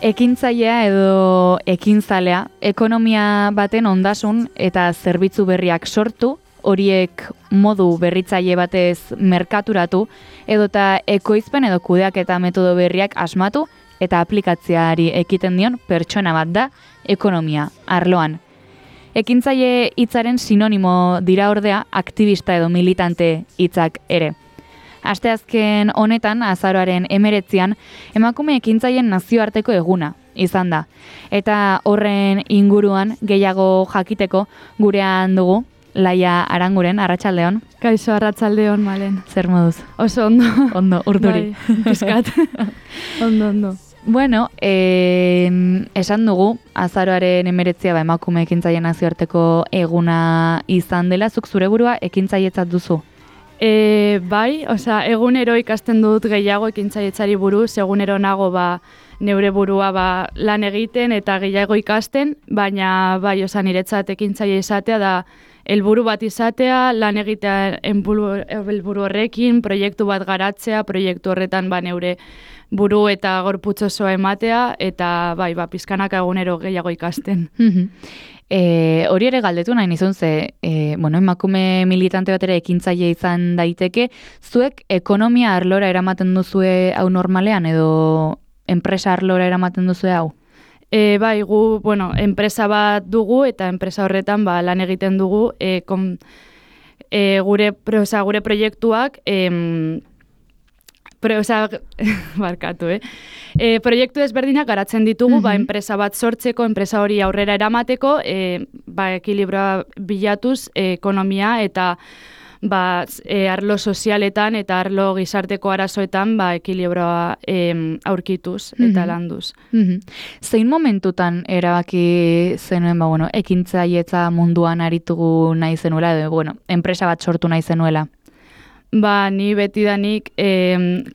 Ekintzailea edo ekintzalea, ekonomia baten ondasun eta zerbitzu berriak sortu, horiek modu berritzaile batez merkaturatu, edota ekoizpen edo kudeaketa metodo berriak asmatu eta aplikatzeari ekiten dion pertsona bat da ekonomia arloan. Ekintzaile hitzaren sinonimo dira ordea aktivista edo militante hitzak ere. Asteazken honetan, azaroaren 19an, emakume ekintzaileen nazioarteko eguna izan da. Eta horren inguruan gehiago jakiteko gurean dugu, Laia Aranguren, arratsaldeon. Kaixo, arratsaldeon, Malen. Zer moduz? Oso ondo. Ondo, urduri. Bai, pizkat. Ondo. Bueno, esan dugu, azaroaren 19a emakume ekintzaileen nazioarteko eguna izan dela, zuk zure burua ekintzailetzat duzu? Bai, egunero ikasten dut gehiago ekintzailetzari buruz, egunero nago neure burua lan egiten eta gehiago ikasten, baina bai, niretzat ekintzaile izatea da helburu bat izatea, lan egitea helburu horrekin, proiektu bat garatzea, proiektu horretan neure buru eta gorputz osoa ematea, eta bai, pizkanaka egunero gehiago ikasten. Hori ere galdetu nahi nizun ze, emakume militante bat ere ekintzaile izan daiteke, zuek ekonomia arlora eramaten duzue hau normalean edo enpresa arlora eramaten duzue hau? Bai, gu, enpresa bat dugu eta enpresa horretan lan egiten dugu gure proiektuak barkatu, proiektu ezberdinak garatzen ditugu, enpresa bat sortzeko, enpresa hori aurrera eramateko, ekilibroa bilatuz ekonomia eta arlo sozialetan eta arlo gizarteko arazoetan ekilibroa aurkituz eta landuz. Zein momentutan erabaki zenuen ekintzailetza munduan aritugu nahi zenuela edo enpresa bat sortu nahi zenuela? Ni betidanik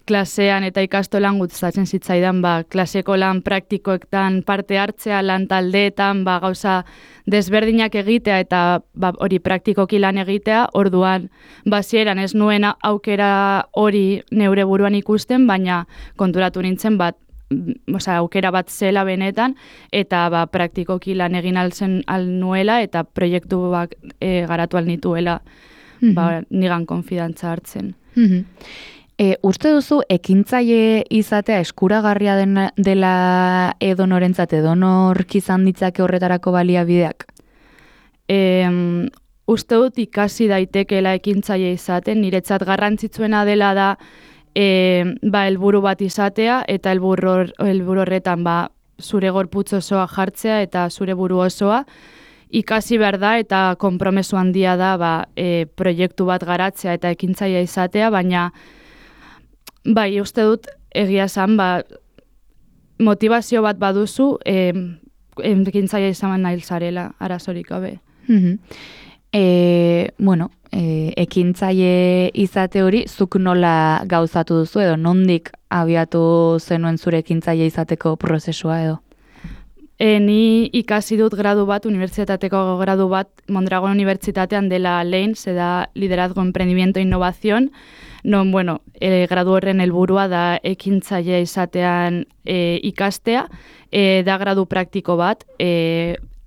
klasean eta ikastolan gustatzen zitzaidan klaseko lan praktikoetan parte hartzea, lan taldeetan gauza desberdinak egitea eta hori praktikoki lan egitea, orduan hasieran ez nuen aukera hori neure buruan ikusten, baina konturatu nintzen aukera bat zela benetan eta praktikoki lan egin al nuela eta proiektu garatu al nituela. Nigan konfidantza hartzen. Uste duzu ekintzaile izatea eskuragarria dela edonorentzat, edonork izan ditzake horretarako baliabideak? Uste dut ikasi daitekeela ekintzaile izaten, niretzat garrantzitsuena dela da helburu bat izatea eta helburu horretan zure gorputz osoa jartzea eta zure buru osoa, ikasi behar da eta konpromesu handia da proiektu bat garatzea eta ekintzailea izatea, baina uste dut egia esan motivazio bat baduzu ekintzailea izan nahi zarela, arazorik gabe. Ekintzaile izate hori zuk nola gauzatu duzu edo nondik abiatu zenuen zure ekintzaile izateko prozesua edo? Ni ikasi dut gradu bat, unibertsitateko gradu bat, Mondragon Unibertsitatean dela LEIN, da Liderazgo, Emprendimiento e Innovación, gradu horren helburua da ekintzaile izatean ikastea, da gradu praktiko bat,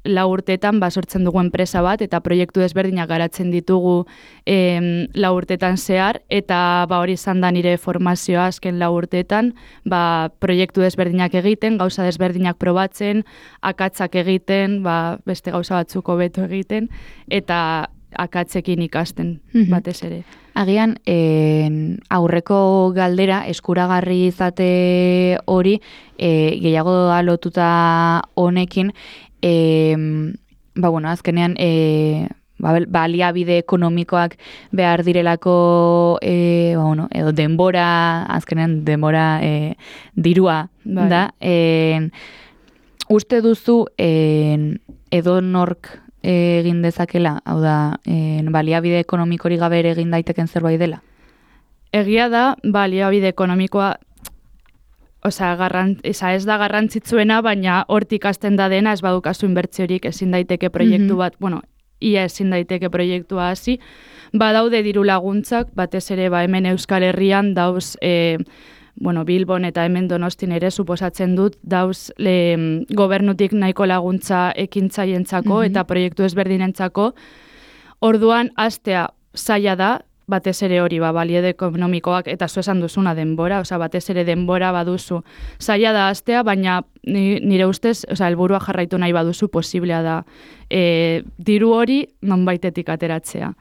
4 urteetan sortzen dugu enpresa bat eta proiektu desberdinak garatzen ditugu 4 urteetan zehar eta hori izan da nire formazioa azken 4 urteetan, proiektu desberdinak egiten, gauza desberdinak probatzen, akatzak egiten, beste gauza batzuk hobeto egiten eta akatzekin ikasten batez ere. Agian, aurreko galdera eskuragarri izate hori gehiago lotuta honekin, azkenean baliabide ekonomikoak behar direlako edo denbora, azkenean denbora dirua da. Uste duzu edonork egin dezakela, hau da, baliabide ekonomikori gabe ere egin daiteken zerbait dela? Egia da, baliabide ekonomikoa ez da garrantzitsuena, baina hortik hasten da dena, ez badukazu inbertsiorik, ezin daiteke proiektu bat, ia ezin daiteke proiektua hasi. Badaude diru laguntzak, batez ere hemen Euskal Herrian dauz Bilbon eta hemen Donostin ere suposatzen dut dauz gobernutik nahiko laguntza ekintzaientzako eta proiektu ezberdinentzako. Orduan, hastea zaila da, batez ere hori, baliede ekonomikoak, eta zu esan duzuna denbora, batez ere denbora baduzu. Zaila da hastea, baina nire ustez, helburua jarraitu nahi baduzu posiblea da diru hori nonbaitetik ateratzea.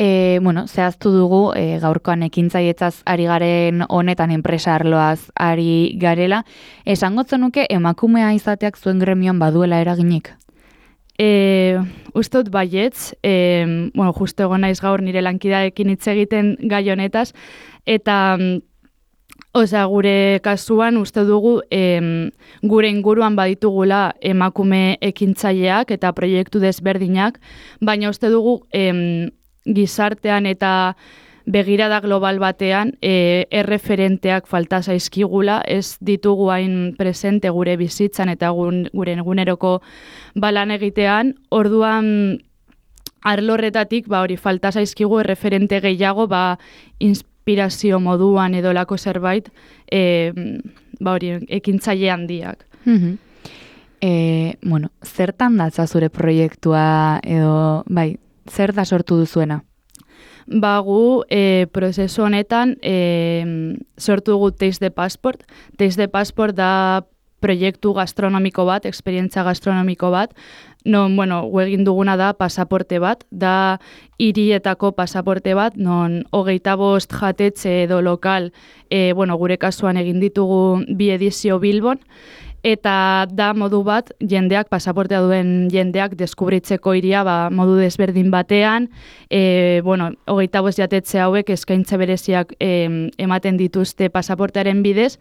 Zehaztu dugu gaurkoan ekintzailetzaz ari garen honetan enpresa arloaz ari garela. Esango zenuke emakumea izateak zuen gremioan baduela eraginik? Ustot baietz, justo egon naiz gaur nire lankideekin hitz egiten gai honetaz, eta gure kasuan uste dugu gure inguruan baditugula emakume ekintzaileak eta proiektu desberdinak, baina uste dugu gizartean eta begirada global batean erreferenteak falta zaizkigula, ez ditugu hain presente gure bizitzan eta gure eguneroko lan egitean. Orduan arlorretatik hori falta zaizkigu erreferente gehiago inspirazio moduan edo lako zerbait hori ekintzaile handiak. Zertan datza zure proiektua edo zer da sortu duzuena? Gu prozesu honetan sortu dugu Taste the Passport. Taste the Passport da proiektu gastronomiko bat, esperientzia gastronomiko bat, non, egin duguna da pasaporte bat, da hirietako pasaporte bat, non 25 jatetxe edo lokal, gure kasuan egin ditugu 2 edizio Bilbon, eta da modu bat jendeak, pasaportea duen jendeak deskubritzeko hiria modu desberdin batean, 25 jatetxe hauek eskaintza bereziak ematen dituzte pasaportearen bidez.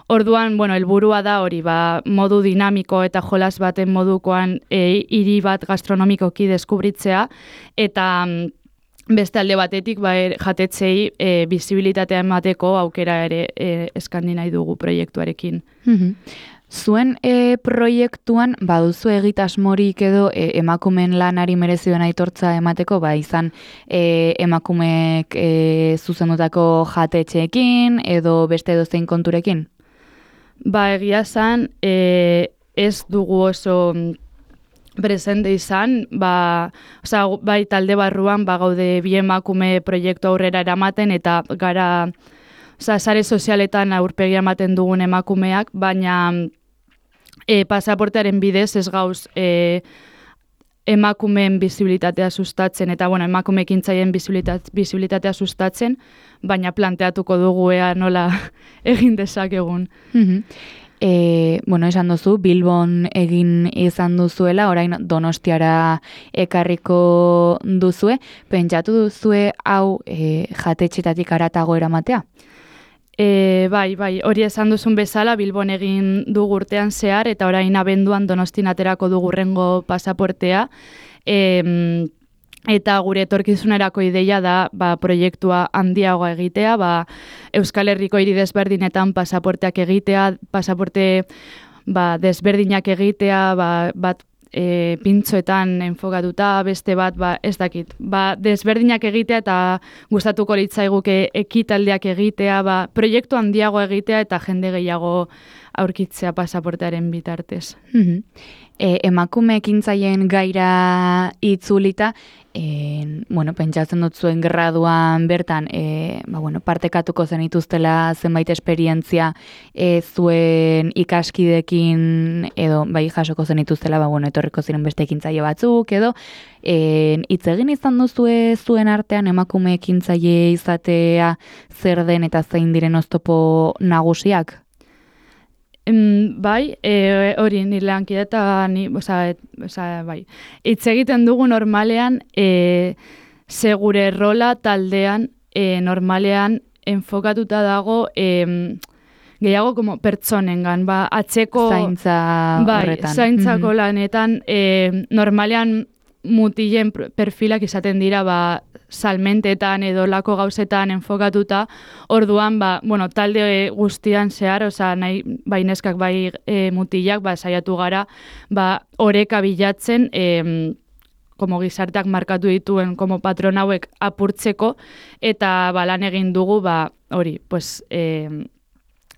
Orduan, helburua da hori, modu dinamiko eta jolas baten modukoan hiri bat gastronomikoki deskubritzea, eta beste alde batetik jatetzei bizibilitatea emateko aukera ere eskandi nahi dugu proiektuarekin. Zuen proiektuan baduzu egitasmorik edo emakumeen lanari merezi duen aitortza emateko, izan emakumeek zuzendutako jatetxeekin edo beste edozein konturekin? Egia zan, ez dugu oso presente izan, bai talde barruan gaude 2 emakume proiektu aurrera eramaten eta gara sare sozialetan aurpegia ematen dugun emakumeak, baina pasaportearen bidez ez gauz emakumeen bizibilitatea sustatzen eta emakume ekintzaileen bizibilitatea sustatzen, baina planteatuko dugu nola egin dezakegun. Esan duzu, Bilbon egin izan duzuela, orain Donostiara ekarriko duzue. Pentsatu duzue hau jatetxetatik haratago eramatea? Bai, hori esan duzun bezala, Bilbon egin dugu urtean zehar, eta orain abenduan Donostin aterako dugu hurrengo pasaportea, eta gure etorkizunerako ideia da proiektua handiagoa egitea, Euskal Herriko hiri desberdinetan pasaporteak egitea, pasaporte desberdinak egitea, bat pintxoetan enfokatuta, beste bat, ez dakit. Desberdinak egitea eta gustatuko litzaiguke ekitaldiak egitea, proiektu handiago egitea eta jende gehiago aurkitzea pasaportearen bitartez. Emakume ekintzaileen gaira itzulita, pentsatzen dut zuen graduan bertan, partekatuko zenituztela zenbait esperientzia zuen ikaskidekin edo jasoko zenituztela, etorriko ziren beste ekintzaile batzuk edo, hitz egin izan duzue zuen artean emakume ekintzaile izatea zer den eta zein diren oztopo nagusiak? Bai, hori nire lankide eta bai. Hitz egiten dugu normalean, segure rola taldean normalean enfokatuta dago gehiago como pertsonengan, atzeko zaintza horretan. Zaintzako lanetan, normalean mutilen perfilak izaten dira salmentetan edo lako gauzetan enfokatuta, orduan, talde guztian zehar, bai neskak, bai mutilak, saiatu gara, oreka bilatzen como gizarteak markatu dituen como patron hauek apurtzeko, eta lan egin dugu, hori, pues,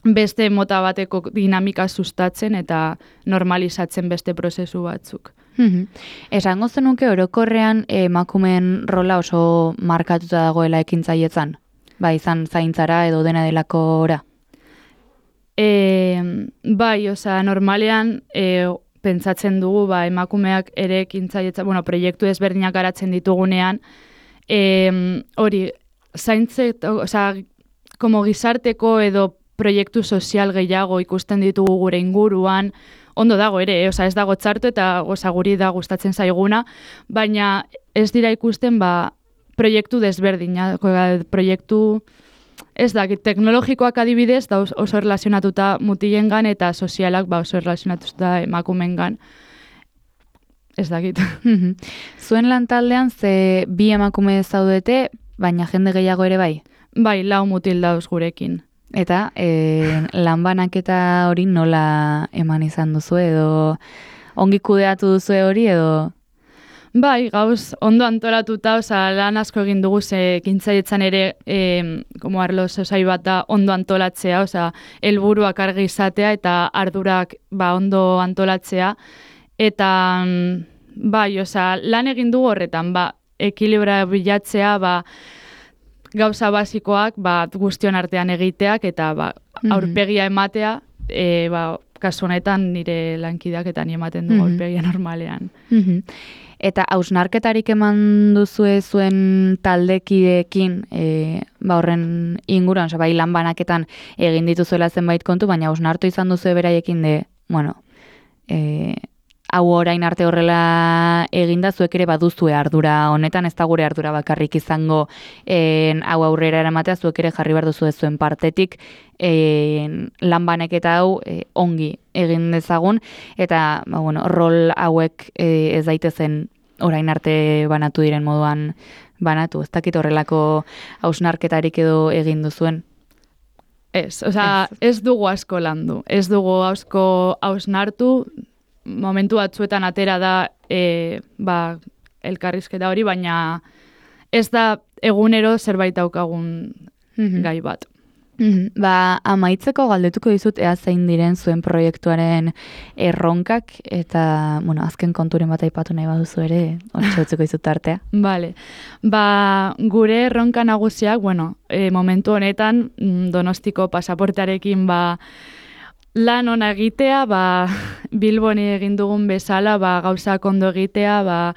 beste mota bateko dinamika sustatzen eta normalizatzen beste prozesu batzuk. Esango zenuke orokorrean emakumeen rola oso markatuta dagoela ekintzaietzan? Izan zaintzara edo dena delako ora? Bai, normalean pentsatzen dugu emakumeak ere ekintzaietza, proiektu ezberdinak garatzen ditugunean, hori, zaintze, como gizarteko edo proiektu sozial gehiago ikusten ditugu gure inguruan, ondo dago ere, ez dago txarto eta guri da gustatzen zaiguna, baina ez dira ikusten proiektu desberdinak, proiektu, ez dakit, teknologikoak adibidez da oso erlazionatuta mutilengan eta sozialak oso erlazionatuta emakumengan. Ez dakit. Zuen lantaldean ze bi emakume zaudete, baina jende gehiago ere bai? Bai, 4 mutil dauz gurekin. Eta lanbanaketa hori nola eman izan duzu edo ongi kudeatu duzu hori edo? Bai, gauz ondo antolatuta, lan asko egin dugu ekintzaietzan ere como arlo sozai bat da ondo antolatzea, helburuak argi izatea eta ardurak ondo antolatzea. Eta bai, lan egin dugu horretan, ekilibra bilatzea, gauza basikoak guztion artean egiteak eta aurpegia ematea, kasu honetan nire lankideak eta ni ematen du aurpegia normalean. Eta hausnarketarik eman duzue zuen taldekideekin horren inguruan, bai lan banaketan egin dituzuela zenbait kontu, baina hausnartu izan duzue beraiekin hau orain arte horrela eginda zuek ere baduzue ardura honetan, ez da gure ardura bakarrik izango hau aurrera eramatea, zuek ere jarri behar duzu zuen partetik lan banaketa hau ongi egin dezagun, eta rol hauek ez daitezen orain arte banatu diren moduan banatu, ez dakit horrelako hausnarketarik edo egin duzuen? Ez dugu asko landu, ez dugu asko hausnartu, momentu batzuetan atera da elkarrizketa hori, baina ez da egunero zerbait daukagun gai bat. Amaitzeko galdetuko dizut ea zein diren zuen proiektuaren erronkak eta azken konturen bat aipatu nahi baduzu ere, hortxautzeko dizut artea. Bale, gure erronka nagusiak, momentu honetan Donostiko pasaportearekin lan ona egitea, Bilboni egin dugun bezala, gauzak ondo egitea,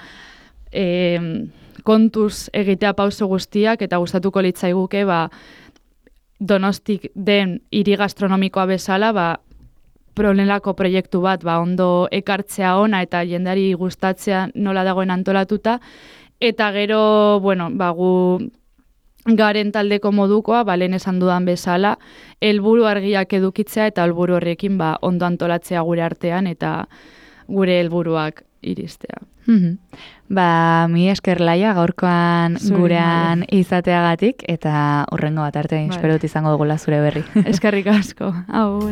kontuz egitea pauso guztiak, eta gustatuko litzaiguke, Donostik den hiri gastronomikoa bezala, problemako proiektu bat, ondo ekartzea ona eta jendari gustatzea nola dagoen antolatuta, eta gero, gu garen taldeko modukoa, lehen esan dudan bezala, helburu argiak edukitzea eta helburu horrekin ondo antolatzea gure artean eta gure helburuak iristea. Mi esker Laia gaurkoan gurean izateagatik eta hurrengo bat arte, espero dut izango dugula zure berri. Eskerrik asko. Agur.